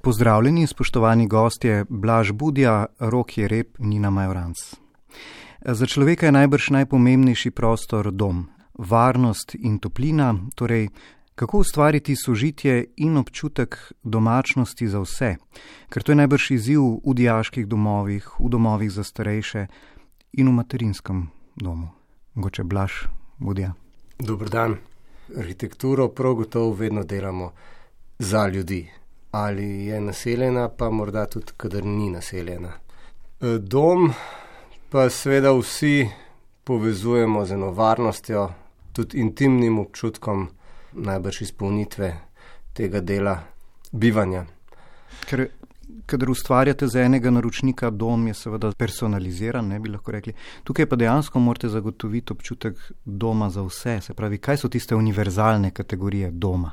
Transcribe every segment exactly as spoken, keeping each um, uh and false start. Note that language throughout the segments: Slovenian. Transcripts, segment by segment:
Pozdravljeni, spoštovani gostje, Blaž Budja, Rok Jereb, Nina Majoranc. Za človeka je najbrž najpomembnejši prostor dom, varnost in toplina, torej kako ustvariti sožitje in občutek domačnosti za vse, ker to je najbrž izziv v dijaških domovih, v domovih za starejše in v materinskem domu. Mogoče Blaž Budja. Dober dan. Arhitekturo prav gotovo vedno delamo za ljudi. Ali je naseljena, pa morda tudi, kadar ni naseljena. Dom pa seveda vsi povezujemo z eno varnostjo, tudi intimnim občutkom najbrž izpolnitve tega dela bivanja. Ker, kadar ustvarjate za enega naročnika dom, je seveda personaliziran, ne bi lahko rekli. Tukaj pa dejansko morate zagotoviti občutek doma za vse. Se pravi, kaj so tiste univerzalne kategorije doma?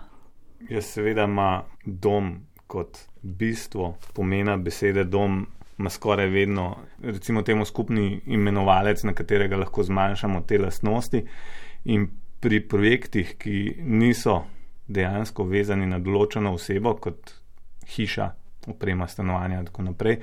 Ja, seveda ima dom kot bistvo pomena besede dom, ima skoraj vedno, recimo temu skupni imenovalec, na katerega lahko zmanjšamo te lastnosti. In pri projektih, ki niso dejansko vezani na določeno osebo, kot hiša, oprema stanovanja in tako naprej,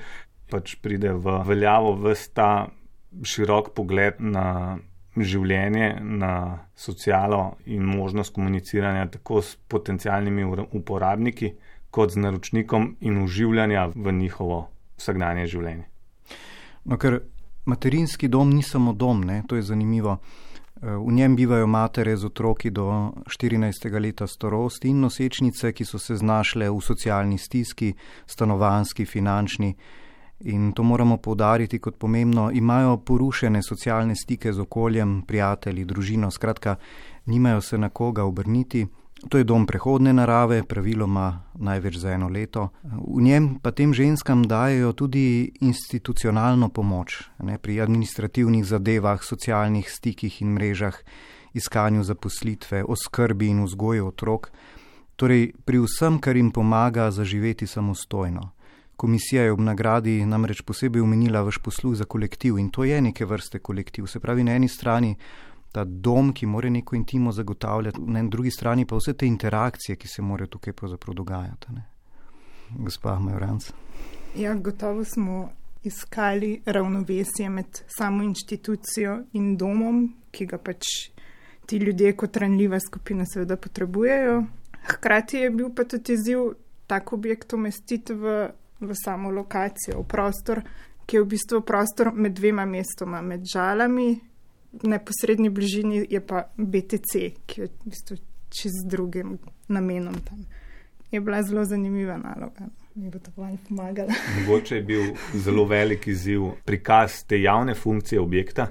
pač pride v veljavo ves ta širok pogled na življenje, na socialo in možnost komuniciranja tako s potencialnimi uporabniki, kot z naročnikom in uživljanja v njihovo vsakdanje življenje. No, ker materinski dom ni samo dom, ne? To je zanimivo. V njem bivajo matere z otroki do štirinajstega leta starosti in nosečnice, ki so se znašle v socialni stiski, stanovanjski, finančni. In to moramo poudariti kot pomembno, imajo porušene socialne stike z okoljem, prijatelji, družino, skratka, nimajo se na koga obrniti. To je dom prehodne narave, praviloma največ za eno leto. V njem pa tem ženskam dajejo tudi institucionalno pomoč, ne, pri administrativnih zadevah, socialnih stikih in mrežah, iskanju zaposlitve, oskrbi in vzgoju otrok, torej pri vsem, kar jim pomaga zaživeti samostojno. Komisija je ob nagradi namreč posebej omenila vaš posluh za kolektiv in to je neke vrste kolektiv. Se pravi, na eni strani ta dom, ki mora neko intimo zagotavljati, na drugi strani pa vse te interakcije, ki se morajo tukaj pravzaprav dogajati. Ne? Gospa Majoranc. Ja, gotovo smo iskali ravnovesje med samo inštitucijo in domom, ki ga pač ti ljudje kot ranljiva skupina seveda potrebujejo. Hkrati je bil pa tudi izziv tak objekt umestiti v, v samo lokacijo, v prostor, ki je v bistvu prostor med dvema mestoma, med Žalami. V neposrednji bližini je pa B T C, ki je v bistvu čez drugim namenom tam. Je bila zelo zanimiva naloga. Mi bo to malo pomagala. Mogoče je bil zelo velik izziv prikaz te javne funkcije objekta,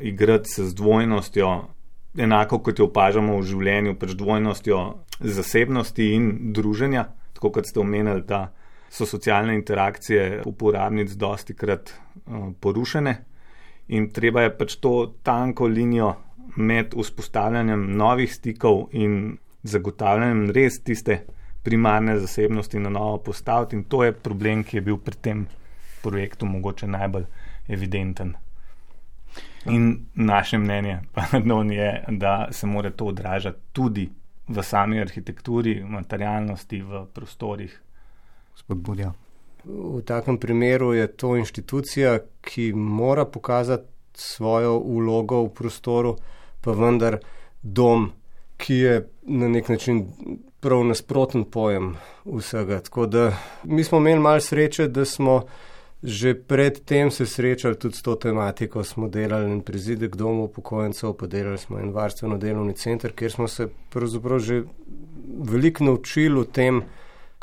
igrati se z dvojnostjo, enako kot jo opažamo v življenju, pač dvojnostjo zasebnosti in druženja, tako kot ste omenili, da so socialne interakcije uporabnic dostikrat uh, porušene. In treba je pač to tanko linijo med vzpostavljanjem novih stikov in zagotavljanjem res tiste primarne zasebnosti na novo postaviti. In to je problem, ki je bil pri tem projektu mogoče najbolj evidenten. In naše mnenje pa je, da se mora to odražati tudi v sami arhitekturi, v materialnosti, v prostorih. Gospod Budja. V takem primeru je to inštitucija, ki mora pokazati svojo vlogo v prostoru, pa vendar dom, ki je na nek način prav nasproten pojem vsega. Tako da mi smo imeli malo sreče, da smo že pred tem se srečali tudi s to tematiko. Smo delali en prizidek domu upokojencev, pa delali smo en varstveno delovni center, kjer smo se pravzaprav že veliko naučili o tem,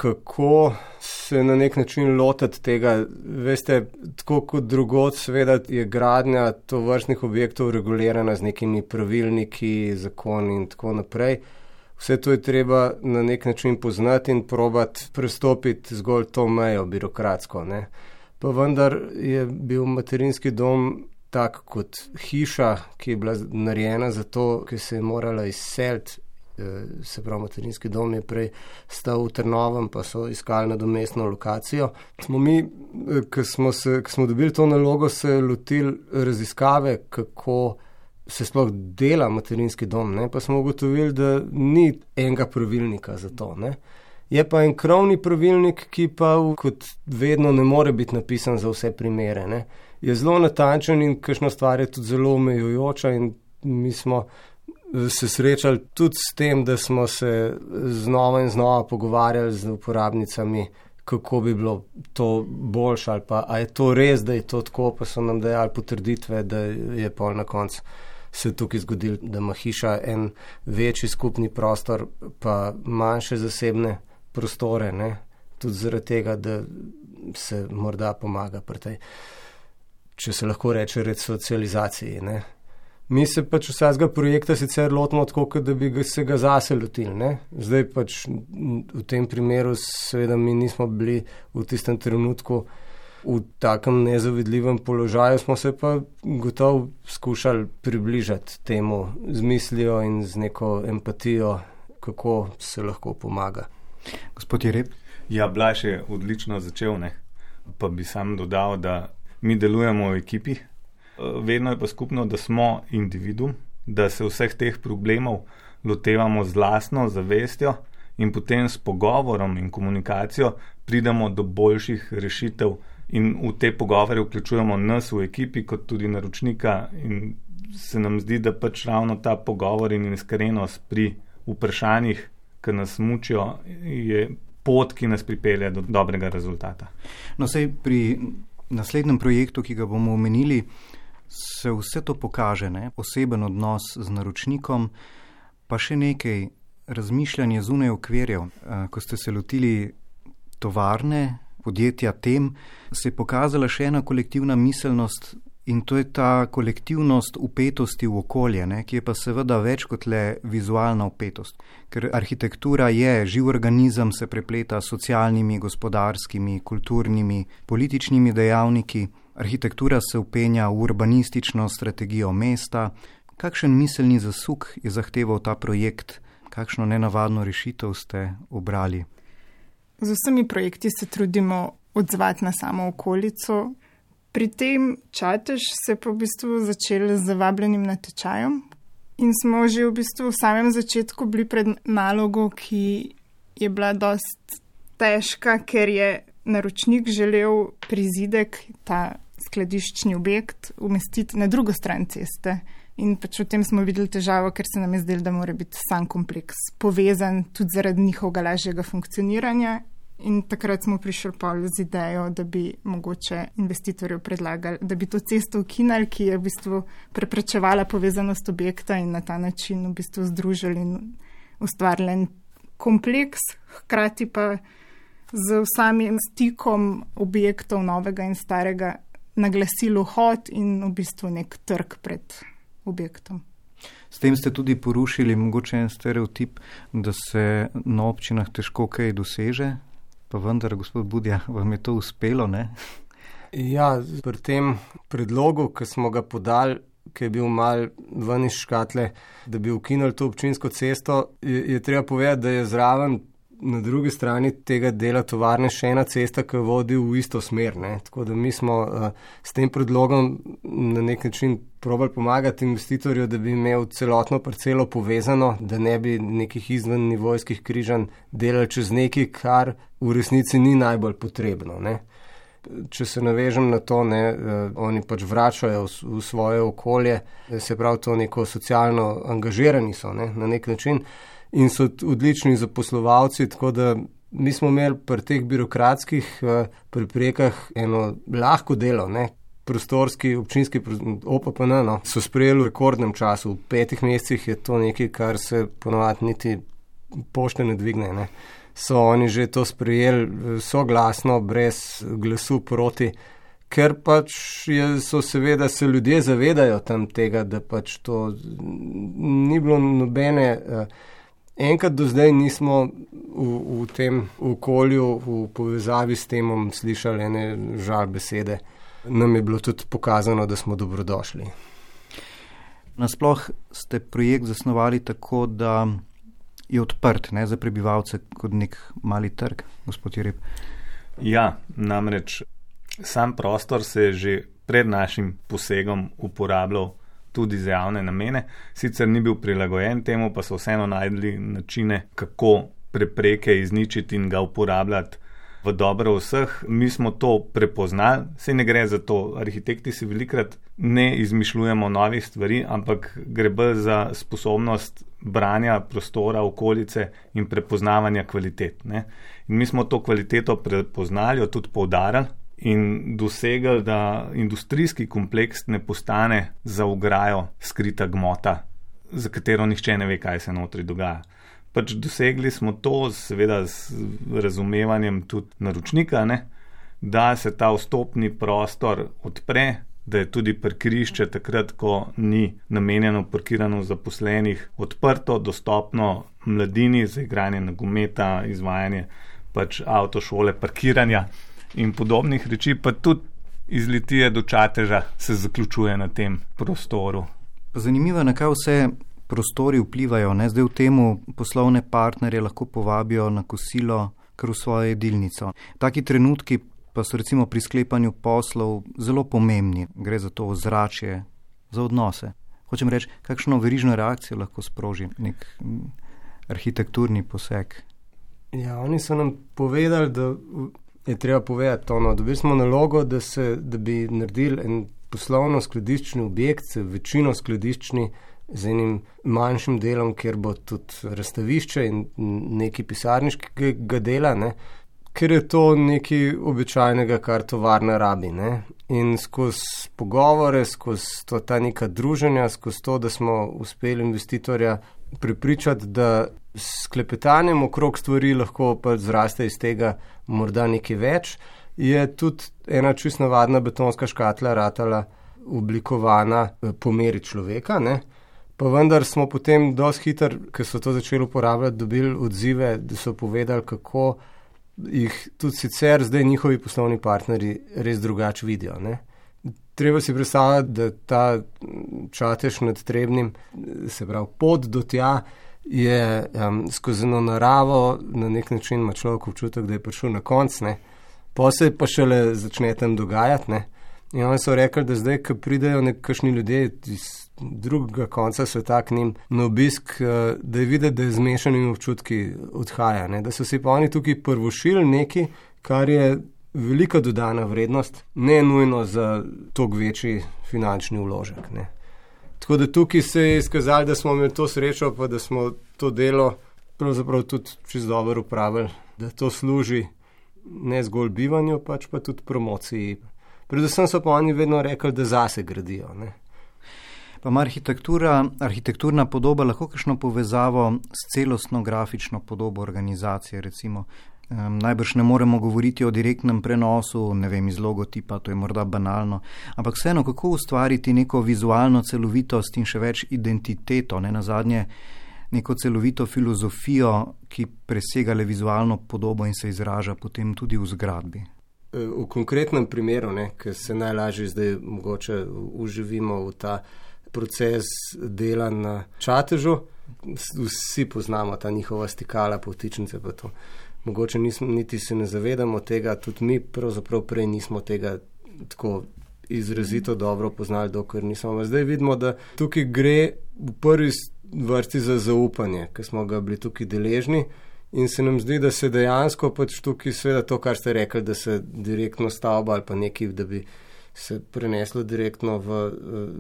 kako se na nek način lotiti tega. Veste, tako kot drugod, seveda je gradnja tovrstnih objektov regulirana z nekimi pravilniki, zakoni in tako naprej. Vse to je treba na nek način poznati in probati prestopiti zgolj to mejo birokratsko, ne. Pa vendar je bil materinski dom tak kot hiša, ki je bila narejena za to, ki se je morala izseliti. Se pravi, materinski dom je prej stal v Trnovem, pa so iskali nadomestno lokacijo. Smo mi, ko smo, se, ko smo dobili to nalogo, se lotili raziskave, kako se sploh dela materinski dom, ne? Pa smo ugotovili, da ni enega pravilnika za to, ne? Je pa en krovni pravilnik, ki pa kot vedno ne more biti napisan za vse primere. Ne. Je zelo natančen in kakšna stvar je tudi zelo omejujoča in mi smo se srečali tudi s tem, da smo se znova in znova pogovarjali z uporabnicami, kako bi bilo to boljše ali pa a je to res, da je to tako, pa so nam dajali potrditve, da je pol na koncu se tukaj zgodil, da ima hiša en večji skupni prostor, pa manjše zasebne prostore, ne? Tudi zaradi tega, da se morda pomaga pri tej, če se lahko reče, resocializaciji, ne. Mi se pač vsakega projekta sicer lotimo tako, da bi ga, se ga zase lotili, ne. Zdaj pač v tem primeru seveda mi nismo bili v tistem trenutku v takem nezavidljivem položaju, smo se pa gotovo skušali približati temu z mislijo in z neko empatijo, kako se lahko pomaga. Gospod Jereb? Ja, Blaž je odlično začel, ne. Pa bi sam dodal, da mi delujemo v ekipi. Vedno je pa skupno, da smo individuum, da se vseh teh problemov lotevamo z lastno zavestjo in potem s pogovorom in komunikacijo pridemo do boljših rešitev in v te pogovore vključujemo nas v ekipi kot tudi naročnika in se nam zdi, da pač ravno ta pogovor in iskrenost pri vprašanjih, ki nas mučijo, je pot, ki nas pripelje do dobrega rezultata. No, sej pri naslednjem projektu, ki ga bomo omenili, se vse to pokaže, ne? Oseben odnos z naročnikom, pa še nekaj razmišljanje zunaj okvirjev. Ko ste se lotili tovarne, podjetja tem, se je pokazala še ena kolektivna miselnost in to je ta kolektivnost upetosti v okolje, ne? Ki je pa seveda več kot le vizualna upetost. Ker arhitektura je živ organizem, se prepleta s socialnimi, gospodarskimi, kulturnimi, političnimi dejavniki. Arhitektura se upenja v urbanistično strategijo mesta. Kakšen miselni zasuk je zahteval ta projekt? Kakšno nenavadno rešitev ste obrali? Z vsemi projekti se trudimo odzvati na samo okolico. Pri tem Čatež se pa v bistvu začel z vabljenim natečajem in smo že v bistvu v samem začetku bili pred nalogo, ki je bila dost težka, ker je naročnik želel prizidek, ta skladiščni objekt, umestiti na drugo stran ceste. In pač v tem smo videli težavo, ker se nam je zdelo, da mora biti sam kompleks povezan tudi zaradi njihovega lažjega funkcioniranja. In takrat smo prišli pol z idejo, da bi mogoče investitorju predlagali, da bi to cesto ukinali, ki je v bistvu preprečevala povezanost objekta in na ta način v bistvu združili in ustvarili en kompleks, hkrati pa z samim stikom objektov novega in starega naglasili vhod in v bistvu nek trg pred objektom. S tem ste tudi porušili mogoče en stereotip, da se na občinah težko kaj doseže, pa vendar, gospod Budja, vam je to uspelo, ne? Ja, pri tem predlogu, ki smo ga podali, ki je bil mal ven iz škatle, da bi ukinuli to občinsko cesto, je, je treba povedati, da je zraven na drugi strani tega dela tovarne še ena cesta, ki vodi v isto smer, ne. Tako da mi smo uh, s tem predlogom na nek način probali pomagati investitorju, da bi imel celotno parcelo povezano, da ne bi nekih izven nivojskih križanj delali čez nekaj, kar v resnici ni najbolj potrebno, ne. Če se navežem na to, ne, uh, oni pač vračajo v, v svoje okolje, se pravi to neko socialno angažirani so, ne, na nek način. In so odlični zaposlovalci, tako da mi smo imeli pri teh birokratskih uh, preprekah eno lahko delo, ne. Prostorski, občinski, O P P N, no, so sprejeli v rekordnem času. V petih mesecih je to nekaj, kar se ponovadi niti pošte ne dvigne, ne. So oni že to sprejeli soglasno, brez glasu proti, ker pač je, so seveda se ljudje zavedajo tam tega, da pač to ni bilo nobene... Uh, Enkrat do zdaj nismo v, v tem okolju, v povezavi s temom slišali ene žal besede. Nam je bilo tudi pokazano, da smo dobrodošli. Nasploh ste projekt zasnovali tako, da je odprt, ne, za prebivalce kot nek mali trg, gospod Jereb. Ja, namreč sam prostor se je že pred našim posegom uporabljal tudi za javne namene. Sicer ni bil prilagojen temu, pa so vseeno najdli načine, kako prepreke izničiti in ga uporabljati v dobro vseh. Mi smo to prepoznali, saj ne gre za to. Arhitekti si velikrat ne izmišljujemo novih stvari, ampak gre bolj za sposobnost branja prostora, okolice in prepoznavanja kvalitet. Ne? In mi smo to kvaliteto prepoznali, jo tudi poudarili in dosegli, da industrijski kompleks ne postane za ograjo skrita gmota, za katero nihče ne ve, kaj se notri dogaja. Pač dosegli smo to, seveda z razumevanjem tudi naročnika, ne, da se ta vstopni prostor odpre, da je tudi parkirišče takrat, ko ni namenjeno parkiranju zaposlenih, odprto, dostopno mladini za igranje nogometa, izvajanje pač avtošole, parkiranja in podobnih reči, pa tudi iz Litije do Čateža se zaključuje na tem prostoru. Zanimivo, na kaj vse prostori vplivajo. Ne? Zdaj v temu poslovne partnerje lahko povabijo na kosilo kar v svojo jedilnico. Taki trenutki pa so recimo pri sklepanju poslov zelo pomembni. Gre za to ozračje, za odnose. Hočem reči, kakšno verižno reakcijo lahko sproži nek arhitekturni poseg. Ja, oni so nam povedali, da je treba povedati to, no, dobili smo nalogo, da, se, da bi naredili en poslovno-skladiščni objekt, večino skladiščni z enim manjšim delom, kjer bo tudi razstavišče in neki pisarniškega dela, ne, ker je to nekaj običajnega, kar tovarna rabi. Ne. In skozi pogovore, skozi to, ta neka druženja, skozi to, da smo uspeli investitorja prepričati, da s klepetanjem okrog stvari lahko pa zraste iz tega morda nekaj več, je tudi ena čisto navadna betonska škatla ratala oblikovana po meri človeka, ne. Pa vendar smo potem dosti hitro, ker so to začeli uporabljati, dobili odzive, da so povedali, kako jih tudi sicer zdaj njihovi poslovni partnerji res drugače vidijo. Ne. Treba si predstavljati, da ta Čatež nad Trebnjem, se pravi pot do tja, je um, skozi eno naravo, na nek način ima človek občutek, da je prišel na konc, ne. Pa se pa šele začne tam dogajati, ne. In oni so rekli, da zdaj, ko pridejo nekakšni ljudje iz drugega konca sveta k njim na obisk, da je videti, da je zmešanimi občutki odhaja, ne. Da so si pa oni tukaj prvošili nekaj, kar je velika dodana vrednost, ne nujno za toliko večji finančni vložek, ne. Tako da tukaj se je izkazali, da smo imeli to srečo, pa da smo to delo pravzaprav tudi čisto dobro upravili, da to služi ne zgolj bivanju, pač pa tudi promociji. Predvsem so pa oni vedno rekli, da zase gradijo, ne. Pa ima arhitektura, arhitekturna podoba lahko kakšno povezavo s celostno grafično podobo organizacije, recimo. Um, najbrž ne moremo govoriti o direktnem prenosu, ne vem, iz logotipa, to je morda banalno, ampak vseeno, kako ustvariti neko vizualno celovitost in še več identiteto, ne nazadnje neko celovito filozofijo, ki presega le vizualno podobo in se izraža potem tudi v zgradbi. V konkretnem primeru, ne, ker se najlažje zdaj mogoče uživimo v ta proces dela na Čatežu, vsi poznamo ta njihova stikala, povtičnice pa to. Mogoče nismo, niti se ne zavedamo tega, tudi mi pravzaprav prej nismo tega tako izrazito dobro poznali, dokler nismo. Zdaj vidimo, da tukaj gre v prvi vrsti za zaupanje, ker smo ga bili tukaj deležni in se nam zdi, da se dejansko pač tukaj seveda to, kar ste rekli, da se direktno stavba ali pa nekaj, da bi se preneslo direktno v uh,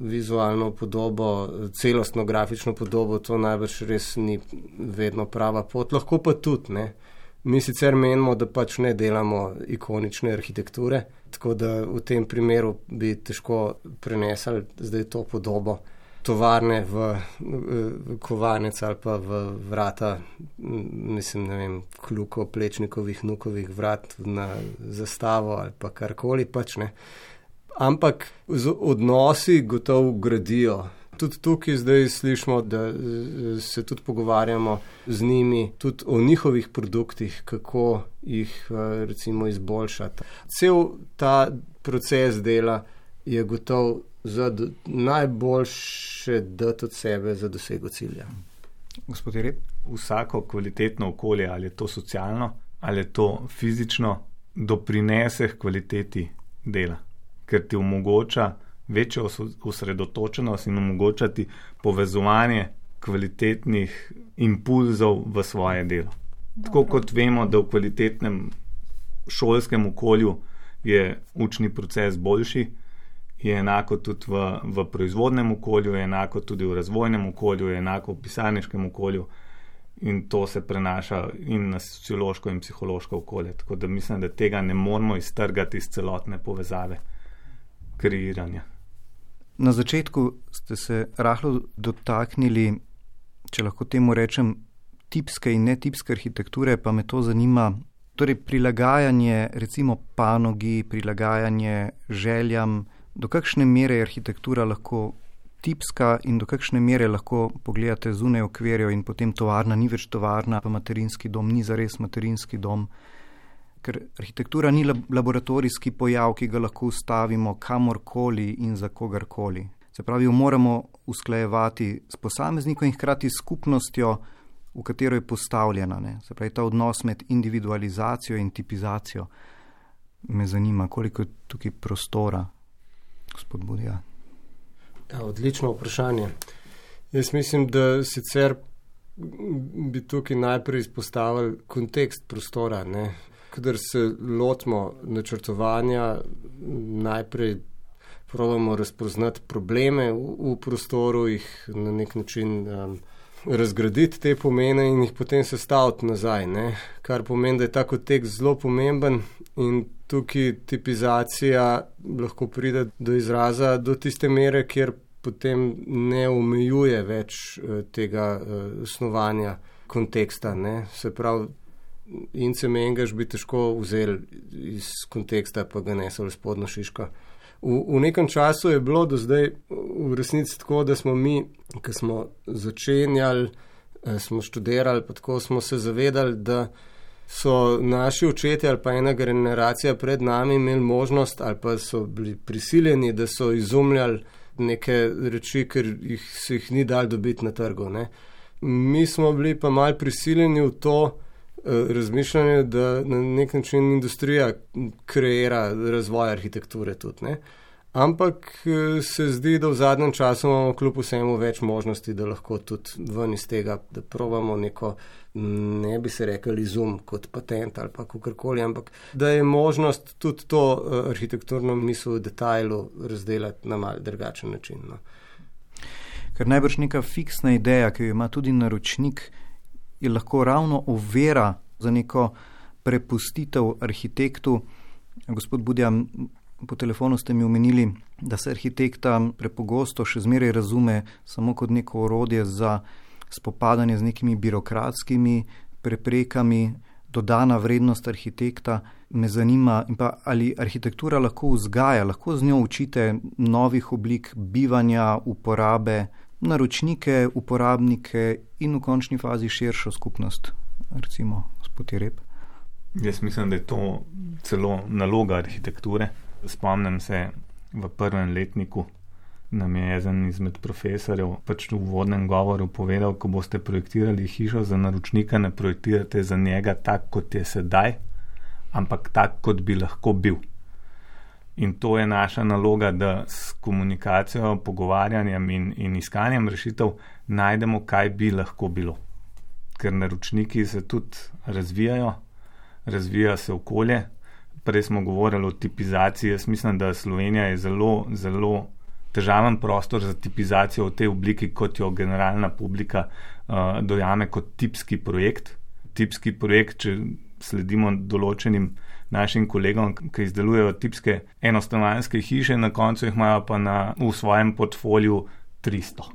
vizualno podobo, celostno grafično podobo, to najbrž res ni vedno prava pot, lahko pa tudi, ne. Mi sicer menimo, da pač ne delamo ikonične arhitekture, tako da v tem primeru bi težko prenesli zdaj to podobo tovarne v, v kovanec ali pa v vrata, mislim, ne vem, kluko, plečnikovih, nukovih vrat na zastavo ali pa karkoli pač, ne. Ampak odnosi gotovo gradijo. Tudi tukaj zdaj slišimo, da se tudi pogovarjamo z njimi, tudi o njihovih produktih, kako jih recimo izboljšati. Cel ta proces dela je gotov za najboljše dati od sebe za dosego cilja. Gospod Jereb? Vsako kvalitetno okolje, ali je to socialno, ali je to fizično, doprinese k kvaliteti dela, ker ti omogoča večjo osredotočenost in omogočati povezovanje kvalitetnih impulzov v svoje delo. Tako kot vemo, da v kvalitetnem šolskem okolju je učni proces boljši, je enako tudi v, v proizvodnem okolju, je enako tudi v razvojnem okolju, je enako v pisarniškem okolju in to se prenaša in na sociološko in psihološko okolje. Tako da mislim, da tega ne moramo iztrgati iz celotne povezave kreiranja. Na začetku ste se rahlo dotaknili, če lahko temu rečem, tipske in netipske arhitekture, pa me to zanima. Torej, prilagajanje recimo panogi, prilagajanje željam, do kakšne mere je arhitektura lahko tipska in do kakšne mere lahko pogledate zunaj okvirjev in potem tovarna ni več tovarna, pa materinski dom ni zares materinski dom. Ker arhitektura ni laboratorijski pojav, ki ga lahko ustavimo kamorkoli in za kogarkoli. Se pravi, jo moramo usklajevati s posameznikom in hkrati s skupnostjo, v katero je postavljena. Ne? Se pravi, ta odnos med individualizacijo in tipizacijo. Me zanima, koliko je tukaj prostora, gospod Budja. Ja, odlično vprašanje. Jaz mislim, da sicer bi tukaj najprej izpostavili kontekst prostora. Ne? Kadar se lotimo načrtovanja, najprej probamo razpoznati probleme v, v prostoru, jih na nek način um, razgraditi te pomene in jih potem sestaviti nazaj. Ne? Kar pomeni, da je ta kontekst zelo pomemben in tukaj tipizacija lahko pride do izraza do tiste mere, kjer potem ne omejuje več uh, tega uh, snovanja konteksta. Ne? Se pravi, Ince Mengaš bi težko vzeli iz konteksta, pa ga nesel spodno šiško. V, v nekem času je bilo do zdaj v resnici tako, da smo mi, ko smo začenjali, smo študirali, pa tako smo se zavedali, da so naši očetje ali pa ena generacija pred nami imeli možnost ali pa so bili prisiljeni, da so izumljali neke reči, ker jih, se jih ni dal dobiti na trgu. Ne. Mi smo bili pa mal prisiljeni v to, razmišljanje, da na nek način industrija kreira razvoj arhitekture tudi. Ne? Ampak se zdi, da v zadnjem času imamo kljub vsemu več možnosti, da lahko tudi ven iz tega, da probamo neko, ne bi se rekli izum kot patent ali pa kakorkoli, ampak da je možnost tudi to arhitekturno misel v detajlu razdelati na mal drugačen način. No? Ker najbrž neka fiksna ideja, ki jo ima tudi naročnik, je lahko ravno ovira za neko prepustitev arhitektu. Gospod Budja, po telefonu ste mi omenili, da se arhitekta prepogosto še zmeraj razume samo kot neko orodje za spopadanje z nekimi birokratskimi preprekami, dodana vrednost arhitekta. Me zanima, in pa ali arhitektura lahko vzgaja, lahko z njo učite novih oblik bivanja, uporabe, naročnike, uporabnike in v končni fazi širšo skupnost, recimo gospod Jereb. Jaz mislim, da je to celo naloga arhitekture. Spomnim se, v prvem letniku nam je eden izmed profesorjev pač v uvodnem govoru povedal, ko boste projektirali hišo za naročnika, ne projektirate za njega tak, kot je sedaj, ampak tak, kot bi lahko bil. In to je naša naloga, da s komunikacijo, pogovarjanjem in, in iskanjem rešitev najdemo, kaj bi lahko bilo. Ker naročniki se tudi razvijajo, razvija se okolje. Prej smo govorili o tipizaciji. Jaz mislim, da Slovenija je zelo, zelo težaven prostor za tipizacijo v tej obliki, kot jo generalna publika uh, dojame kot tipski projekt. Tipski projekt, če sledimo določenim našim kolegom, ki izdelujejo tipske enostanovanjske hiše, na koncu jih imajo pa na, v svojem portfoliju tristo.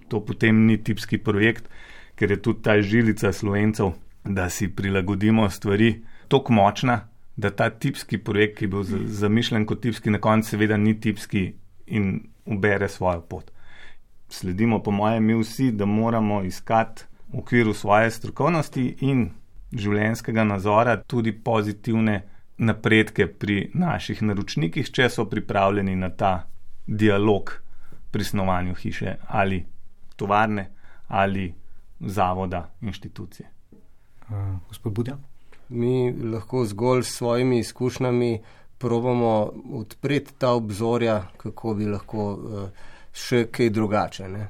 To potem ni tipski projekt, ker je tudi ta žilica Slovencev, da si prilagodimo stvari toliko močna, da ta tipski projekt, ki je bil zamišljen kot tipski, na koncu seveda ni tipski in ubere svojo pot. Sledimo po mojem mi vsi, da moramo iskati v okviru svoje strokovnosti in življenjskega nazora tudi pozitivne napredke pri naših naročnikih, če so pripravljeni na ta dialog pri snovanju hiše ali tovarne ali zavoda, inštitucije. Uh, gospod Budja? Mi lahko zgolj s svojimi izkušnjami probamo odpreti ta obzorja, kako bi lahko uh, še kaj drugače. Ne?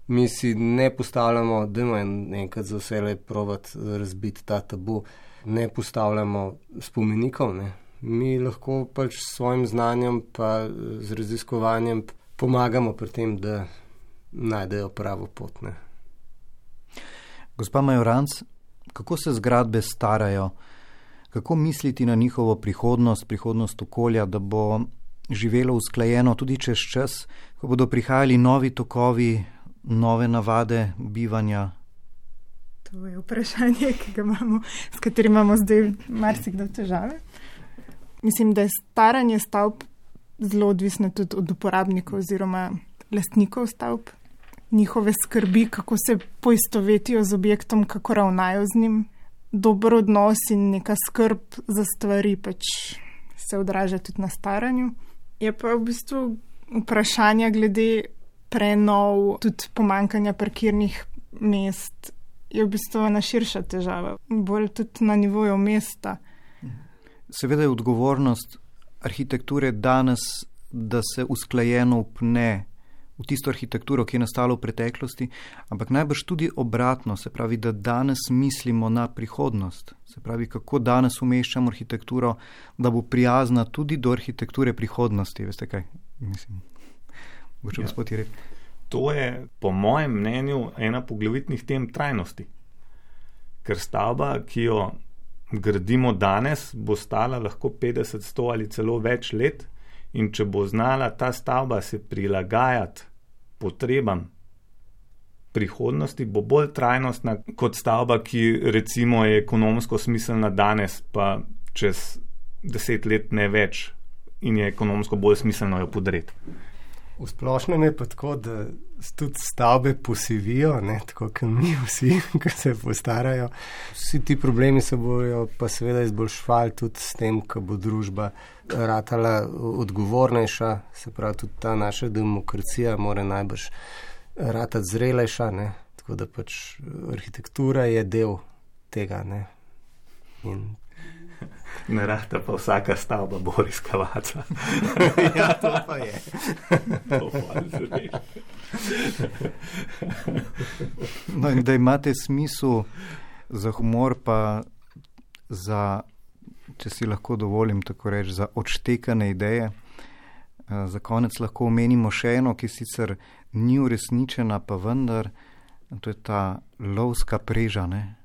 Mi si ne postavljamo, da imamo enkrat za vse probati razbiti ta tabu, ne postavljamo spomenikov, ne. Mi lahko pač s svojim znanjem pa z raziskovanjem pomagamo pri tem, da najdejo pravo pot, ne. Gospa Majoranc, kako se zgradbe starajo? Kako misliti na njihovo prihodnost, prihodnost okolja, da bo živelo usklajeno tudi čez čas, ko bodo prihajali novi tokovi, nove navade bivanja? To je vprašanje, ki ga imamo, s katerim imamo zdaj marsikdo težave. Mislim, da je staranje stavb zelo odvisno tudi od uporabnikov oziroma lastnikov stavb, njihove skrbi, kako se poistovetijo z objektom, kako ravnajo z njim. Dober odnos in neka skrb za stvari pač se odraža tudi na staranju. Je pa v bistvu vprašanje glede prenov, tudi pomankanja parkirnih mest, je v bistvu ena širša težava, bolj tudi na nivoju mesta. Seveda je odgovornost arhitekture danes, da se usklajeno upne v tisto arhitekturo, ki je nastala v preteklosti, ampak najbrž tudi obratno, se pravi, da danes mislimo na prihodnost. Se pravi, kako danes umeščamo arhitekturo, da bo prijazna tudi do arhitekture prihodnosti. Veste kaj? Mislim, boče ja. Gospod Jereb. To je, po mojem mnenju, ena poglavitnih tem trajnosti. Ker stavba, ki jo gradimo danes, bo stala lahko petdeset, sto ali celo več let, in če bo znala ta stavba se prilagajati potrebam prihodnosti, bo bolj trajnostna kot stavba, ki recimo je ekonomsko smiselna danes, pa čez deset let ne več in je ekonomsko bolj smiselno jo podreti. V splošnem je pa tako, da tudi stavbe posivijo, ne, tako kot mi vsi, ki se postarajo. Vsi ti problemi se bojo pa seveda izboljšvali tudi s tem, ko bo družba ratala odgovornejša, se pravi tudi ta naša demokracija mora najbrž ratati zrelejša, ne, tako da pač arhitektura je del tega, ne. In ne rata pa vsaka stavba Boris Kavaca. Ja, to pa je. To pa je. No, in da imate smisel za humor, pa za, če si lahko dovolim tako reči, za odštekane ideje. Za konec lahko omenimo še eno, ki sicer ni uresničena, pa vendar, to je ta lovska preža, ne?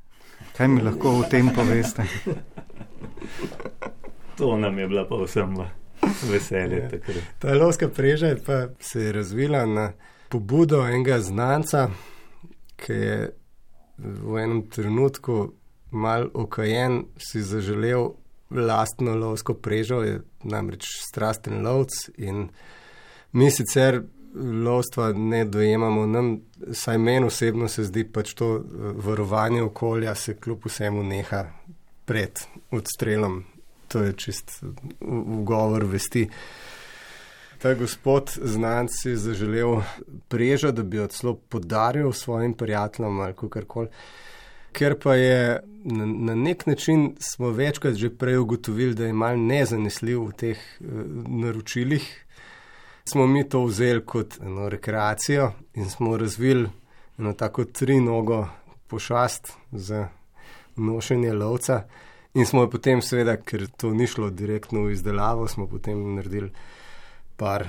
Kaj mi lahko o tem poveste? To nam je bila pa vsem veselje. Ja. Ta lovska preža pa se je razvila na pobudo enega znanca, ki je v enem trenutku mal okajen si zaželel lastno lovsko prežo, je namreč strasten lovc in mi sicer lovstva ne dojemamo, nam, saj meni osebno se zdi pač to varovanje okolja se kljub vsemu neha pred odstrelom. To je čist ugovor vesti. Ta gospod znanc si zaželel prežo, da bi jo celo podaril svojim prijateljem ali kakorkoli. Ker pa je na, na nek način smo večkrat že prej ugotovili, da je mal nezanesljiv v teh uh, naročilih, smo mi to vzeli kot eno rekreacijo in smo razvili eno tako trinogo pošast za nošenje lovca in smo potem seveda, ker to ni šlo direktno v izdelavo, smo potem naredili par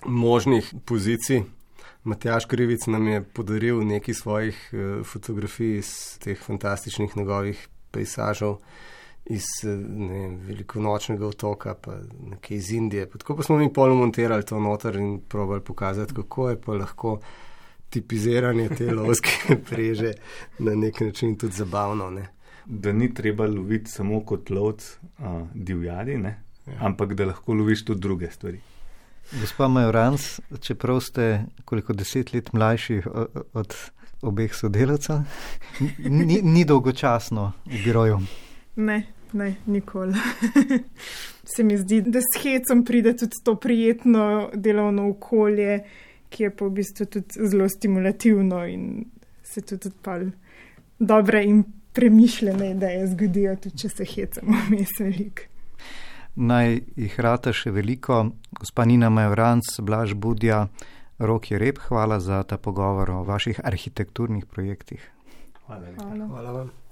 možnih pozicij. Matjaž Krivic nam je podaril nekaj svojih uh, fotografij iz teh fantastičnih njegovih pejsažov iz ne, velikonočnega otoka, pa nekaj iz Indije. Pa tako pa smo mi pol montirali to noter in probali pokazati, kako je pa lahko tipiziranje te lovske preže na nek način tudi zabavno. Ne. Da ni treba loviti samo kot lovc uh, divjadi, ne? Ja. Ampak da lahko loviš tudi druge stvari. Gospa Majoranc, čeprav ste koliko deset let mlajši od obeh sodelavcev, ni, ni dolgočasno v biroju? Ne, ne, nikoli. Se mi zdi, da s hecom pride tudi to prijetno delovno okolje, ki je pa v bistvu tudi zelo stimulativno in se tudi odpali dobre in premišljene ideje zgodijo, tudi če se hecamo vmes veliko. Naj jih rata še veliko. Gospa Nina Majoranc, Blaž Budja, Rok Jereb, hvala za ta pogovor o vaših arhitekturnih projektih. Hvala. Hvala. Hvala vam.